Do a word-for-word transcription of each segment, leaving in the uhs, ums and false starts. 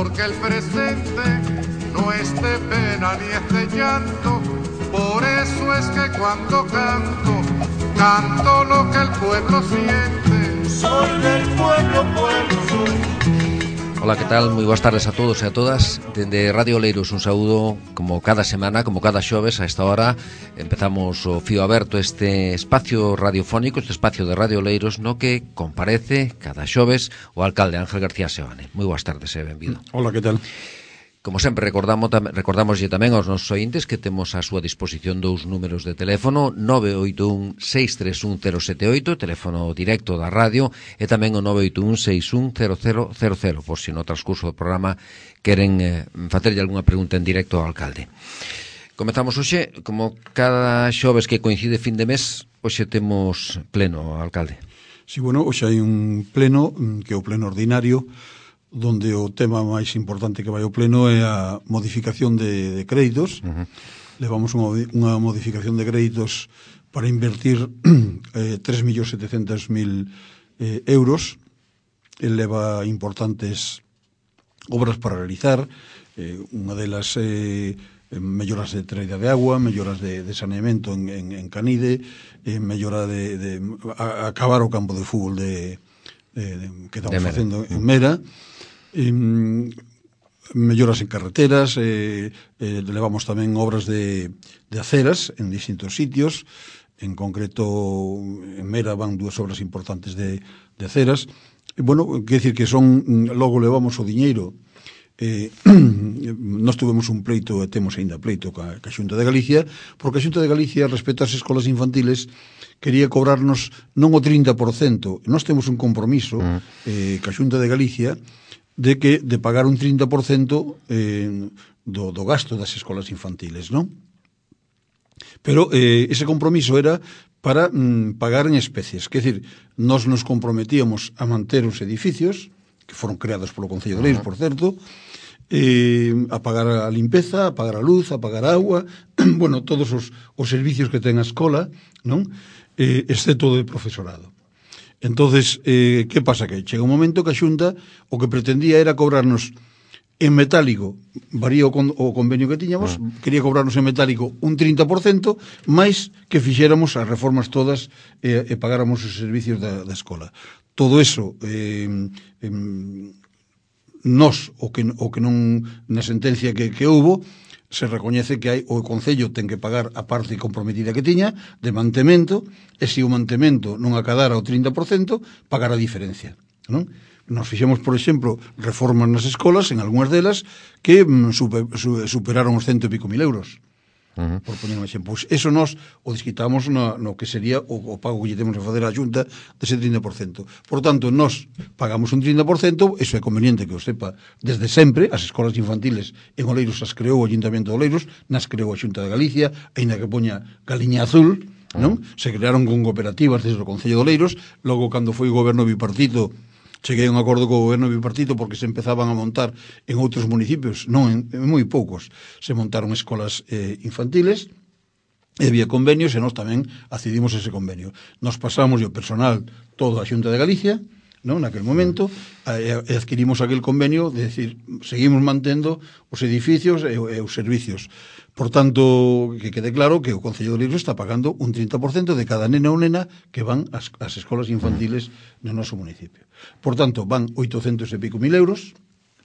porque el presente no es de pena ni es de llanto. Por eso es que cuando canto, canto lo que el pueblo siente. Soy del pueblo, pueblo soy. Hola, que tal? Moi boas tardes a todos e a todas. Dende Radio Oleiros un saúdo, como cada semana, como cada xoves a esta hora. Empezamos o fío aberto, este espacio radiofónico, este espacio de Radio Oleiros, no que comparece cada xoves o alcalde Ángel García Seoane. Moi boas tardes e benvido. Hola, que tal? Como sempre, recordamos recordamoslle tamén aos nosos ointes que temos á súa disposición dous números de teléfono, nove oito un seis tres un cero sete oito, teléfono directo da radio, e tamén o nove oito un seis un cero cero cero cero, por se no transcurso do programa queren eh, facerlle algunha pregunta en directo ao alcalde. Comezamos hoxe, como cada xoves que coincide fin de mes, hoxe temos pleno, alcalde. Sí, bueno, hoxe hai un pleno, que é o pleno ordinario, donde o tema máis importante que vai ao pleno é a modificación de, de créditos. Uh-huh. Levamos unha, unha modificación de créditos para invertir eh, tres millóns setecentos mil eh, euros. El leva importantes obras para realizar, eh, unha delas eh, melloras de traída de agua, melloras de, de saneamento en, en, en Canide, eh, mellora de, de a, acabar o campo de fútbol de, de, de, que estamos facendo en Mera. Eh, melloras en carreteras, eh, eh, levamos tamén obras de, de aceras en distintos sitios, en concreto en Mera van dúas obras importantes de, de aceras. E, bueno, quer decir que son, logo levamos o diñeiro, eh, nós tuvemos un pleito e temos ainda pleito ca, ca Xunta de Galicia, porque a Xunta de Galicia, respecto ás escolas infantiles, quería cobrarnos non o trinta por cento, nós temos un compromiso eh, ca Xunta de Galicia de que de pagar un trinta por cento eh, do, do gasto das escolas infantiles, non? Pero eh, ese compromiso era para mm, pagar en especies, que decir, nós nos comprometíamos a manter os edificios, que foron creados polo Concello de Oleiros, por certo, eh, a pagar a limpeza, a pagar a luz, a pagar a agua, bueno, todos os, os servicios que ten a escola, non? Eh, exceto de profesorado. Entonces, eh, que pasa? Que chega un momento que a Xunta o que pretendía era cobrarnos en metálico, varía o, con, o convenio que tiñamos, mm. quería cobrarnos en metálico un trinta por cento, máis que fixéramos as reformas todas e, e pagáramos os servicios da, da escola. Todo eso, eh, eh, nos, o que, o que non, na sentencia que, que houbo, se recoñece que hai o Concello ten que pagar a parte comprometida que tiña de mantemento, e se o mantemento non acadara o trinta por cento, pagar a diferencia, non? Nos fixemos, por exemplo, reformas nas escolas, en algunhas delas, que mm, super, superaron os cento e pico mil euros. Uh-huh. Por poner un exemplo. Pois eso nos o desquitamos no, no que sería o, o pago que lle temos a fazer á Xunta dese trinta por cento. Por tanto, nos pagamos un trinta por cento, eso é conveniente que o sepa desde sempre. As escolas infantiles en Oleiros as creou o Ayuntamiento de Oleiros, nas creou a Xunta de Galicia, aínda que poña galiña azul, non? Uh-huh. Se crearon con cooperativas desde o Concello de Oleiros. Logo, cando foi o goberno bipartito, cheguei a un acordo co goberno bipartito porque se empezaban a montar en outros municipios, non en, en moi poucos, se montaron escolas eh, infantiles, e había convenios e nós tamén accedimos a ese convenio. Nos pasamos e o personal todo a Xunta de Galicia, non, naquel momento, e adquirimos aquel convenio de decir, seguimos mantendo os edificios e, e os servicios. Por tanto, que quede claro que o Concello de Oleiros está pagando un trinta por cento de cada nena ou nena que van ás, ás escolas infantiles no noso municipio. Por tanto, van oitocentos e pico mil euros,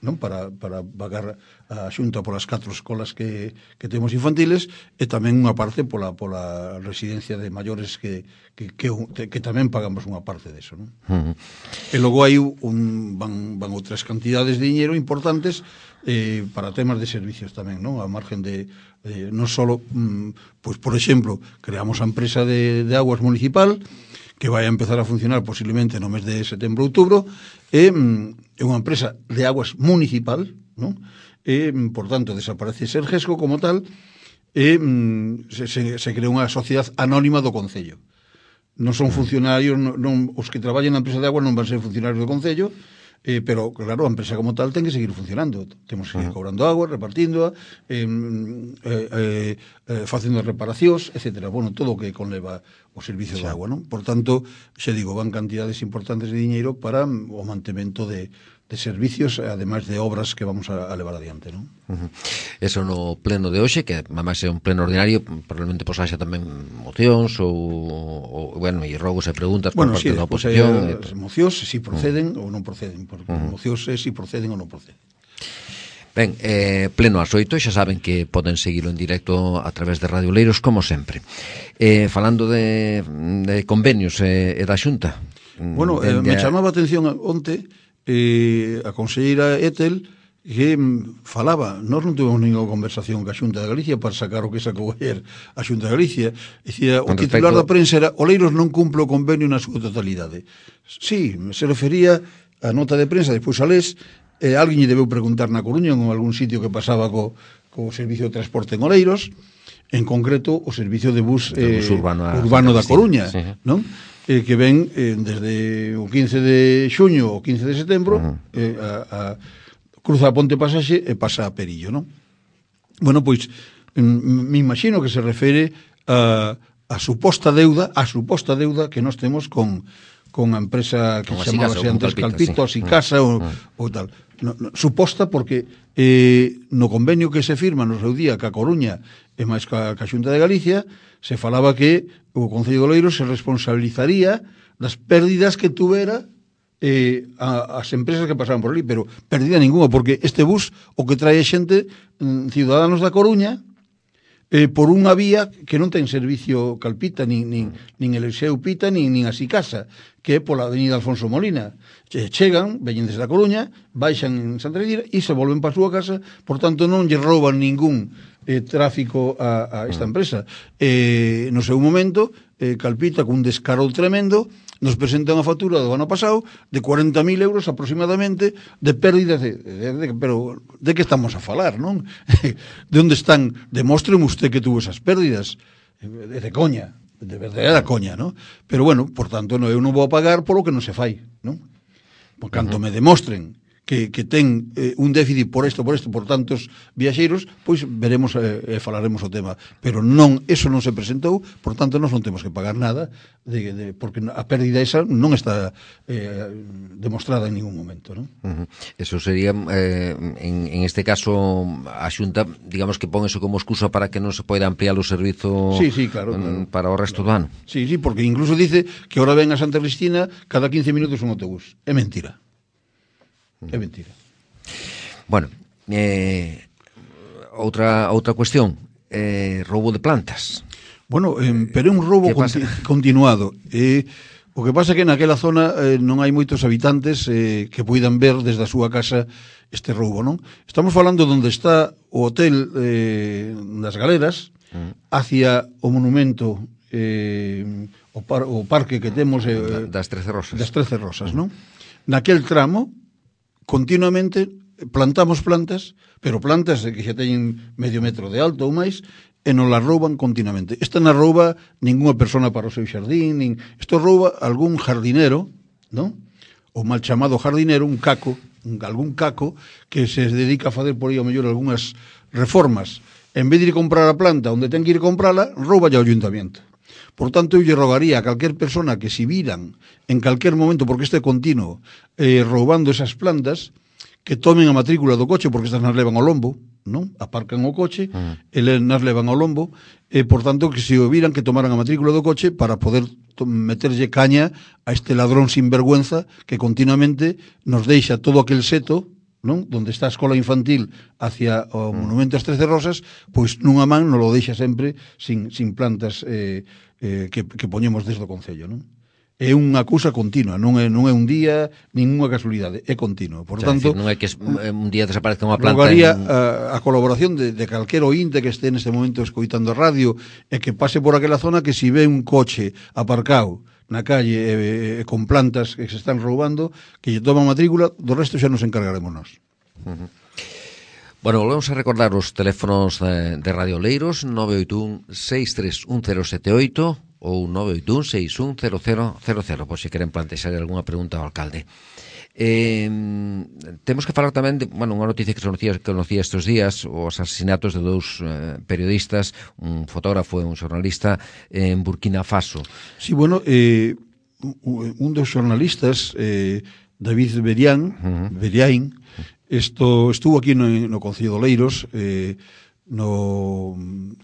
non, para, para pagar a Xunta polas catro escolas que, que temos infantiles, e tamén unha parte pola, pola residencia de maiores que, que, que, que tamén pagamos unha parte deso, non? Uh-huh. E logo hai un, van, van outras cantidades de dinero importantes eh, para temas de servicios tamén, non? A margen de, de non só, mm, pois, por exemplo, creamos a empresa de, de aguas municipal, que vai a empezar a funcionar posiblemente no mes de setembro ou outubro, e é unha empresa de aguas municipal, non? E, por tanto, desaparece Sergesco como tal, e se, se, se crea unha sociedade anónima do Concello. Non son funcionarios, non, non, os que traballan na empresa de aguas non van ser funcionarios do Concello, eh, pero, claro, a empresa como tal ten que seguir funcionando. Temos que ir cobrando agua, repartíndoa, eh, eh, eh, facendo reparacións, etcétera. Bueno, todo o que conleva o servicio de agua, non? Por tanto, xa digo, van cantidades importantes de diñeiro para o mantemento de, de servicios, ademais de obras que vamos a, a levar adiante, non? Uh-huh. Eso no pleno de hoxe, que además é un pleno ordinario, probablemente pues haxa tamén mocións ou, ou bueno, e rogos e preguntas bueno, por parte sí, da pues, oposición. Eh, as mocións, si proceden uh-huh. ou non proceden, porque uh-huh. mocións é si proceden ou non proceden. Ben, eh, pleno ás oito, xa saben que poden seguilo en directo a través de Radio Oleiros, como sempre. Eh, falando de, de convenios e eh, da Xunta. Bueno, eh, me a... chamaba a atención onte eh, a conselleira Etel que mm, falaba, nós non tuvemos ninguna conversación ca Xunta de Galicia para sacar o que sacou ayer a Xunta de Galicia. Dicía, o titular respecto... da prensa era Oleiros non cumple o convenio na súa totalidade. Sí, se refería a nota de prensa, despois a les, eh, alguén lle debeu preguntar na Coruña en algún sitio que pasaba co, co servicio de transporte en Oleiros, en concreto o servicio de bus, eh, bus urbano, a, urbano da Coruña, sí, non? Eh, que ven eh, desde o quince de xuño ao quince de setembro uh-huh. eh, a, a cruza a Ponte Pasaxe e pasa a Perillo, non? Bueno, pois me imagino que se refere a, a suposta deuda a suposta deuda que nós temos con, con a empresa que se chamaba antes Calpito, así casa ou, uh-huh. ou tal. No, no, suposta porque eh, no convenio que se firma no seu día ca Coruña e máis ca, ca Xunta de Galicia se falaba que o Concello de Oleiros se responsabilizaría das pérdidas que tuvera eh, a, as empresas que pasaban por ali, pero pérdida ninguna, porque este bus o que trae xente, mm, ciudadanos da Coruña, eh, por unha vía que non ten servicio Calpita, nin, nin, nin Eliseu Pita, nin, nin así casa, que é pola avenida Alfonso Molina. Che, chegan, veñen desde a Coruña, baixan en Santa Lledira e se volven para a súa casa, por tanto non lle rouban ningún eh, tráfico a, a esta empresa. Eh, no seu momento, eh, Calpita, cun descaro tremendo, nos presenta unha factura do ano pasado de cuarenta mil euros aproximadamente de pérdidas de, de, de, pero de que estamos a falar, non? De onde están? Demóstreme usted que tuvo esas pérdidas de, de coña, de verdadeira coña, non? Pero bueno, por tanto, no, eu non vou a pagar polo que non se fai, non? Por canto uh-huh. me demostren que, que ten eh, un déficit por isto, por isto, por tantos viaxeiros, pois veremos e eh, falaremos o tema. Pero non, eso non se presentou, por tanto, nós non temos que pagar nada, de, de, porque a pérdida esa non está eh, demostrada en ningún momento, non? Uh-huh. Eso sería, eh, en, en este caso, a Xunta, digamos que pon eso como excusa para que non se poida ampliar o servizo sí, sí, claro, claro, para o resto claro. do ano. Sí, sí, porque incluso dice que ahora ven a Santa Cristina cada quince minutos un autobús. É mentira. É mentira. Bueno, eh, outra outra cuestión, eh, roubo de plantas. Bueno, eh, pero é un roubo conti continuado. Eh, o que pasa é que naquela zona eh, non hai moitos habitantes eh, que poidan ver desde a súa casa este roubo, non? Estamos falando onde está o hotel eh, das Galeras, mm. hacia o monumento eh, o, par o parque que temos eh, das Trece Rosas. Das Trece Rosas, non? Naquel tramo continuamente plantamos plantas, pero plantas que xa teñen medio metro de alto ou máis, e non las rouban continuamente. Esta non rouba ninguna persona para o seu xardín, nin... isto rouba algún jardinero, non? O mal chamado jardinero, un caco, un, algún caco que se dedica a facer por aí ao mellor algunhas reformas. En vez de ir comprar a planta onde ten que ir comprala, rouba ao ayuntamiento. Por tanto, eu lle rogaría a calquer persona que si viran en calquer momento, porque este continuo, eh, roubando esas plantas, que tomen a matrícula do coche, porque estas nas levan ao lombo, non? Aparcan o coche, uh-huh. e nas levan ao lombo, e, por tanto, que se o viran, que tomaran a matrícula do coche para poder meterlle caña a este ladrón sinvergüenza que continuamente nos deixa todo aquel seto, non? Donde está a escola infantil hacia o monumento ás Trece Rosas, pois nunha man non lo deixa sempre sin, sin plantas eh, eh, que, que poñemos desde o Concello, non? É unha cousa continua, non é, non é un día, ninguna casualidade, é continuo. Por o sea, tanto, decir, non é que un día desaparezca unha planta. Rogaría en... a, a colaboración de, de calquer ointe que este neste momento escoitando a radio e que pase por aquela zona, que si ve un coche aparcado na calle e, e, con plantas que se están roubando, que lle toma matrícula, do resto xa nos encargaremos nós. Uh-huh. Bueno, volvemos a recordar os teléfonos de, de Radio Oleiros, nove oito un seis tres un cero sete oito ou nove oito un seis un cero cero cero cero, por se queren plantexar algunha pregunta ao alcalde. Eh, temos que falar tamén de, bueno, unha noticia que se conocía, que conocía estes días, os asesinatos de dous eh, periodistas, un fotógrafo e un xornalista en Burkina Faso. Sí, bueno, eh, un dos xornalistas eh, David Berián, uh-huh. Beriain, isto estuvo aquí no, no Concello de Oleiros, eh, no,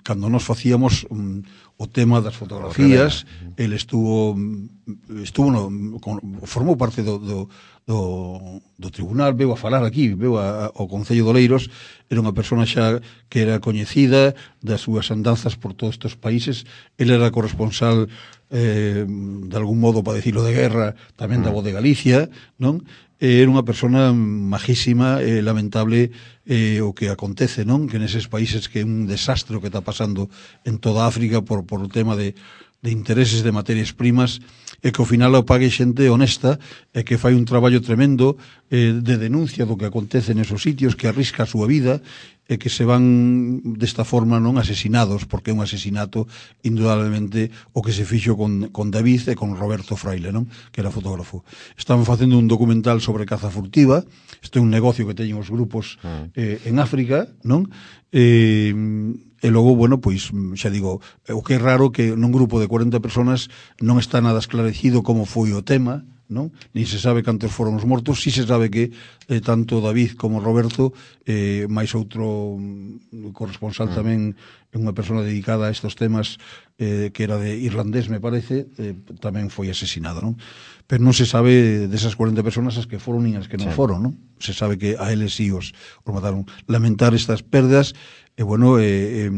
cando nos facíamos um, o tema das fotografías, ele estuvo estuvo no, con, formou parte do, do, do, do tribunal, veu a falar aquí, veu a, ao Concello de Oleiros, era unha persona xa que era coñecida das súas andanzas por todos estes países, ele era corresponsal eh, de algún modo, para decirlo, de guerra, tamén da Voz de Galicia, non? Era unha persona majísima, eh, lamentable eh, o que acontece, non? Que neses países que é un desastre o que está pasando en toda África por, por o tema de, de intereses de materias primas, e que ao final o pague xente honesta e que fai un traballo tremendo eh, de denuncia do que acontece nesos sitios, que arrisca a súa vida e que se van desta forma non asesinados, porque é un asesinato indudablemente o que se fixo con, con David e con Roberto Fraile, non? Que era fotógrafo. Estaban facendo un documental sobre caza furtiva, isto é un negocio que teñen os grupos eh, en África, non? E, e logo, bueno, pois, xa digo, o que é raro que nun grupo de cuarenta personas non está nada esclarecido como foi o tema, non? Ni se sabe cantos foron os mortos, si se sabe que eh, tanto David como Roberto, eh, máis outro mm, corresponsal mm. tamén é unha persona dedicada a estes temas, eh, que era de irlandés, me parece, eh, tamén foi asesinado, non? Pero non se sabe desas cuarenta personas as que foron e as que non sí. foron, non? Se sabe que a eles sí os, os mataron. Lamentar estas perdas, e bueno, e, e,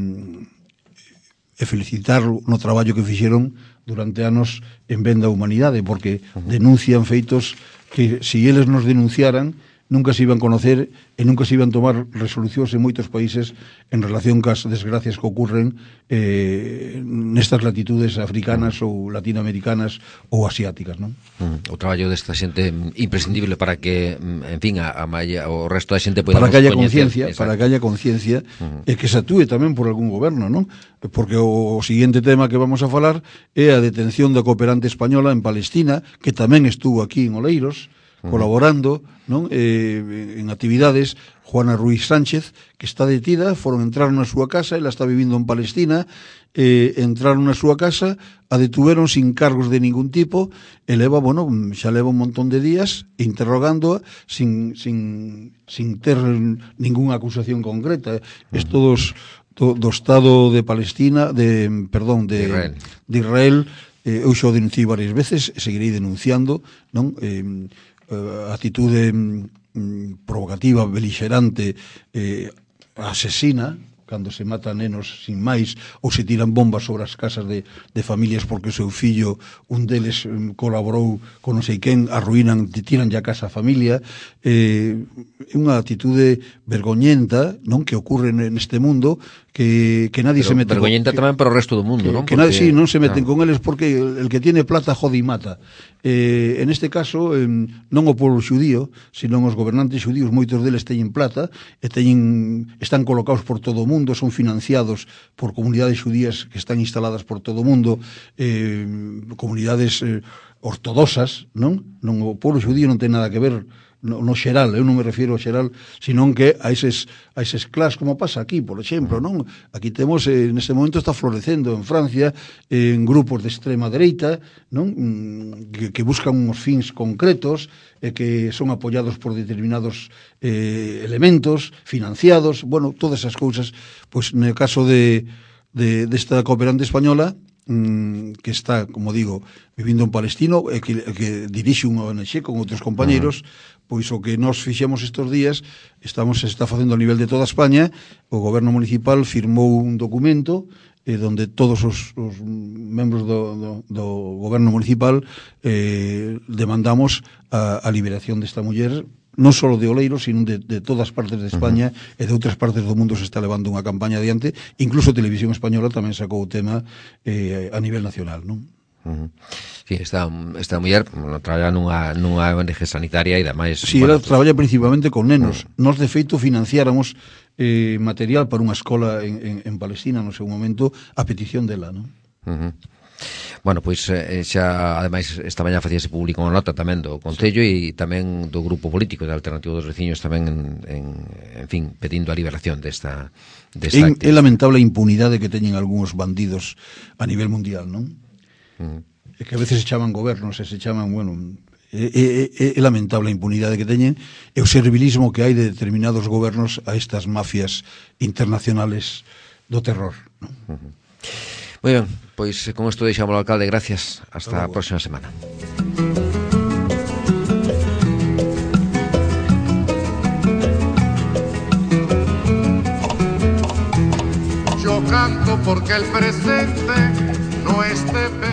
e felicitar no traballo que fixeron durante anos en ben da humanidade, porque uh-huh. denuncian feitos que, se si eles nos denunciaran, nunca se iban conocer e nunca se iban tomar resolucións en moitos países en relación cas desgracias que ocurren eh, nestas latitudes africanas uh-huh. ou latinoamericanas ou asiáticas, non? Uh-huh. O traballo desta xente imprescindible para que, en fin, a, a malla, o resto da xente podamos para que haya conciencia, para que haya conciencia uh-huh. e que se atúe tamén por algún goberno, non? Porque o, o seguinte tema que vamos a falar é a detención da cooperante española en Palestina, que tamén estuvo aquí en Oleiros, colaborando, non? Eh, en actividades. Juana Ruiz Sánchez, que está detida, foron entrar na súa casa, ela está vivindo en Palestina, eh, entraron na súa casa, a detuveron sin cargos de ningún tipo, e leva, bueno, xa leva un montón de días interrogándoa sin, sin, sin ter ninguna acusación concreta. Isto dos, do, do Estado de Palestina, de, perdón, de, de Israel, de Israel eh, eu xa o denunciei varias veces, e seguirei denunciando, non? Eh, a actitude mm, provocativa, belixerante, eh, asesina, cando se mata nenos sin máis, ou se tiran bombas sobre as casas de, de familias porque o seu fillo, un deles um, colaborou con non sei quen, arruinan, tiran ya a casa a familia. É eh, unha actitude vergoñenta, non, que ocorre neste mundo, que, que nadie pero se mete... Vergoñenta con... tamén para o resto do mundo, que, non? Que porque... nadie, sí, non se meten no. con eles porque el, el que tiene plata jode e mata. Eh, en este caso, eh, non o povo xudío, sino os gobernantes xudíos, moitos deles teñen plata, e teñen, están colocados por todo o mundo, son financiados por comunidades xudías que están instaladas por todo o mundo, eh, comunidades eh, ortodoxas, non? Non, o povo xudío non ten nada que ver no, no xeral, eu non me refiero ao xeral, senón que a eses, a eses clás, como pasa aquí, por exemplo, non? Aquí temos, eh, neste momento está florecendo en Francia, eh, en grupos de extrema dereita, non? Que, que buscan uns fins concretos, e eh, que son apoyados por determinados eh, elementos, financiados, bueno, todas esas cousas, pois, no caso de, de desta cooperante española, que está, como digo, vivindo en Palestino, e que, que dirixe unha O N G con outros compañeros, uh-huh. pois o que nos fixemos estes días, estamos se está facendo a nivel de toda España, o goberno municipal firmou un documento eh, donde todos os, os membros do, do, do goberno municipal eh, demandamos a, a liberación desta muller, non só de Oleiros, sino de, de todas partes de España, uh-huh. e de outras partes do mundo se está levando unha campaña adiante. Incluso a Televisión Española tamén sacou o tema eh, a nivel nacional, non? Uh-huh. Sí, esta, esta muller bueno, traballa nunha, nunha O N G sanitaria e demais. Sí, bueno, ela pues... traballa principalmente con nenos. Uh-huh. Nos, de feito, financiáramos eh, material para unha escola en, en, en Palestina no seu momento a petición dela, non? Uh-huh. Bueno, pois eh, xa, ademais, esta mañá facíase público unha nota tamén do Concello e tamén do grupo político da Alternativa dos Veciños tamén, en, en, en fin, pedindo a liberación desta, desta é, é lamentable a impunidade que teñen algúns bandidos a nivel mundial, non? Uh-huh. É que a veces se chaman gobernos e se chaman, bueno, É, é, é lamentable a impunidade que teñen e o servilismo que hai de determinados gobernos a estas mafias internacionales do terror, non? Uh-huh. Moi ben, pois con isto deixamos ao alcalde, gracias, hasta a próxima semana. Yo canto porque el presente no esté